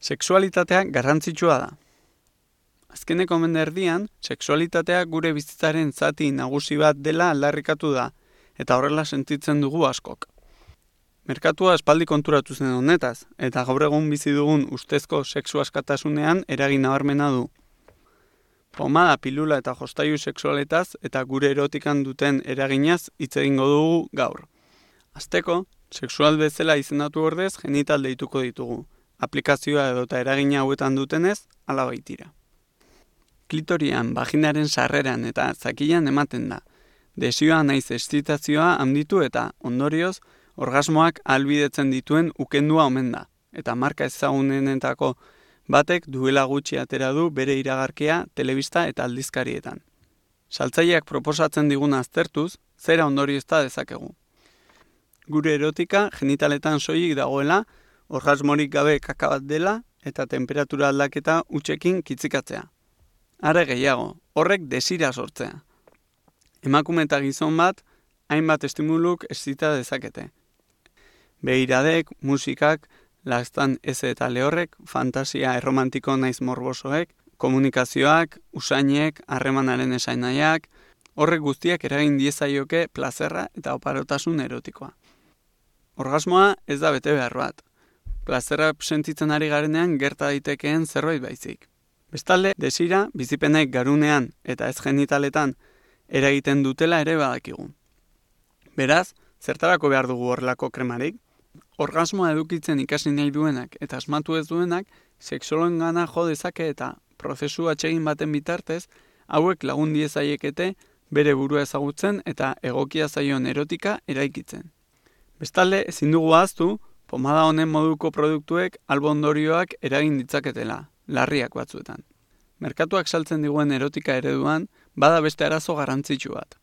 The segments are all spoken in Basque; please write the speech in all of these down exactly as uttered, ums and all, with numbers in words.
Sexualitatea garrantzitsua da. Azkeneko mende erdian, sexualitatea gure bizitzaren zati nagusi bat dela aldarrikatu da, eta horrela sentitzen dugu askok. Merkatua aspaldi konturatu zen honetaz, eta gaur egun bizi dugun ustezko sexu askatasunean eragin nabarmena du. Pomada, pilula eta jostailu sexualetaz eta gure erotikan duten eraginaz hitz egingo dugu gaur. Hasteko, sexual bezala izendatu ordez genital deituko ditugu. Aplikazioa edota eragina hauetan dutenez, hala baitira. Klitorian, vaginaren sarreran eta zakilan ematen da. Desioa naiz excitazioa handitu eta, ondorioz, orgasmoak ahalbidetzen dituen ukendua omen da. Eta marka ezagunenetako batek duela gutxi atera du bere iragarkia telebista eta aldizkarietan. Saltzaileak proposatzen diguna aztertuz, zera ondoriozta dezakegu. Gure erotika genitaletan soilik dagoela, orgasmorik gabe kaka bat dela eta temperatura aldaketa hutsekin kitzikatzea. Are gehiago, horrek desira sortzea. Emakume eta gizon bat, hainbat estimuluk excita dezakete. Begiradek, musikak, lastan eze eta lehorrek, fantasia erromantiko naiz morbosoek, komunikazioak, usainek, harremanaren esainaiak, horrek guztiak eragin diezaioke plazerra eta oparotasun erotikoa. Orgasmoa ez da bete behar bat. Plazerra sentitzen ari garenean gerta daitekeen zerbait baizik. Bestalde, desira, bizipenek garunean eta ez genitaletan eragiten dutela ere badakigu. Beraz, zertarako behar dugu horrelako kremarik? Orgasmoa edukitzen ikasi nahi duenak eta asmatu ez duenak, sexoloengana jo dezake eta prozesu atsegin baten bitartez, hauek lagun diezaiekete bere burua ezagutzen eta egokia zaion erotika eraikitzen. Bestalde, ezin dugu ahaztu, pomada honen moduko produktuek albo ondorioak eragin ditzaketela, larriak batzuetan. Merkatuak saltzen diguen erotika ereduan, bada beste arazo garrantzitsu bat.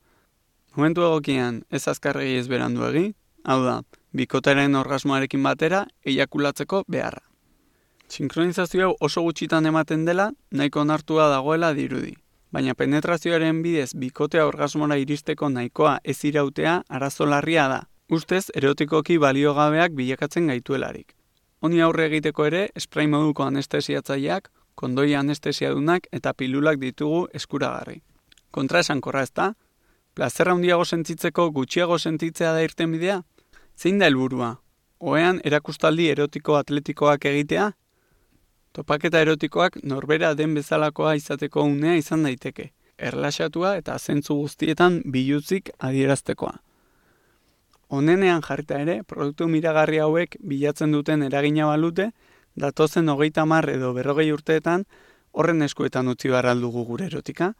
Momentu egokian ez azkarregi ez beranduegi, hau da, bikotaren orgasmoarekin batera eiakulatzeko beharra. Sinkronizazio hau oso gutxitan ematen dela, nahiko onartua dagoela dirudi. Baina penetrazioaren bidez bikotea orgasmora iristeko nahikoa ez irautea arazo larria da. Ustez, erotikoki baliogabeak bilakatzen gaituelarik. Honi aurre egiteko ere, spray moduko anestesiatzaileak, kondoi anestesiadunak eta pilulak ditugu eskuragarri. Kontra esankorra ez da? Plazerra handiago sentitzeko gutxiago sentitzea da irtenbidea? Zein da helburua? Ohean erakustaldi erotiko atletikoak egitea? Topaketa erotikoak norbera den bezalakoa izateko unea izan daiteke, erlaxatua eta zentzu guztietan biluzik adieraztekoa. Honenean jarrita ere, produktu miragarri hauek bilatzen duten eragina balute, datozen hogeita hamar edo berrogei urteetan horren eskuetan utzi behar dugu gure erotika.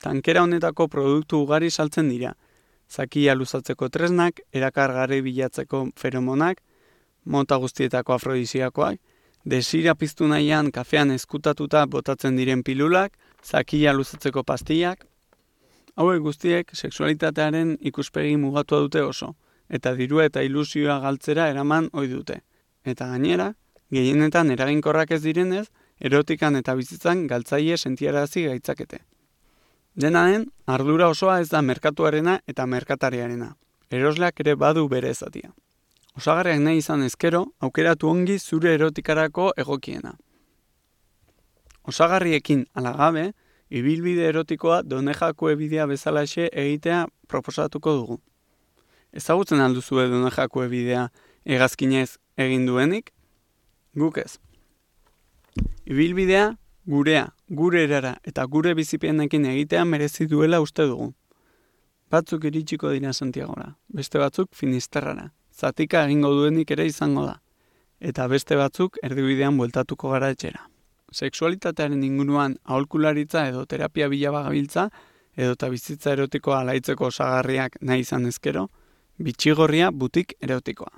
Tankera honetako produktu ugari saltzen dira, zakia luzatzeko tresnak, erakargarri bilatzeko feromonak, mota guztietako afrodisiakoak, desira piztu nahian kafean ezkutatuta botatzen diren pilulak, zakia luzatzeko pastillak. Hauek guztiek sexualitatearen ikuspegi mugatua dute oso, eta dirua eta ilusioa galtzera eraman ohi dute. Eta gainera, gehienetan eraginkorrak ez direnez, erotikan eta bizitzan galtzaile sentiarazi gaitzakete. Dena den, ardura osoa ez da merkatuarena eta merkatariarena. Erosleak ere badu bere ezatia. Osagarriak nahi izan ezkero, aukeratu ongi zure erotikarako egokiena. Osagarriekin alagabe, ibilbide erotikoa Donejakue bidea bezalaxe egitea proposatuko dugu. Ezagutzen alduzue Donejakue bidea hegazkinez egin duenik? Guk ez. Ibilbidea gurea, gure erara eta gure bizipenekin egitea merezi duela uste dugu. Batzuk iritsiko dira Santiagora, beste batzuk Finisterrara. Zatika egingo duenik ere izango da. Eta beste batzuk erdibidean bueltatuko gara etxera. Sexualitatearen inguruan aholkularitza edo terapia bila bagabiltza edota bizitza erotikoa alaitzeko osagarriak nahi izan ezkero, Bitxigorria butik erotikoa.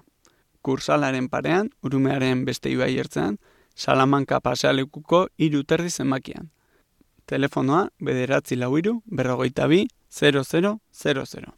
Kursalaren parean, Urumearen beste ibai ertzean, Salamanka pasealekuko hiru terdi zenbakian. Telefonoa bederatzi lau hiru berrogeita bi zero zero zero zero.